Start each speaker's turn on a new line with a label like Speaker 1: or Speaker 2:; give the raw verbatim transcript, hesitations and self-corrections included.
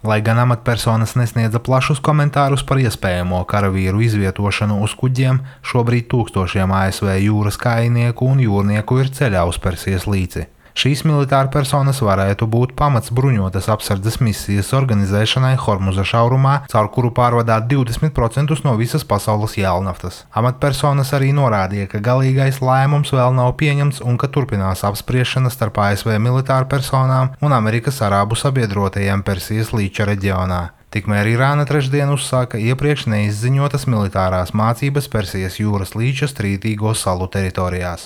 Speaker 1: Lai gan amatpersonas nesniedza plašus komentārus par iespējamo karavīru izvietošanu uz kuģiem, šobrīd tūkstošiem A S V jūras kājnieku un jūrnieku ir ceļā uz Persijas līci. Šīs militārpersonas varētu būt pamats bruņotas apsardzes misijas organizēšanai Hormuza šaurumā, caur kuru pārvadāt divdesmit procentus no visas pasaules jēlnaftas. Amatpersonas arī norādīja, ka galīgais lēmums vēl nav pieņemts un ka turpinās apspriešana starp A S V militārpersonām un Amerikas arābu sabiedrotajiem Persijas līča reģionā. Tikmēr Irāna trešdien uzsāka iepriekš neizziņotas militārās mācības Persijas jūras līča strīdīgo salu teritorijās.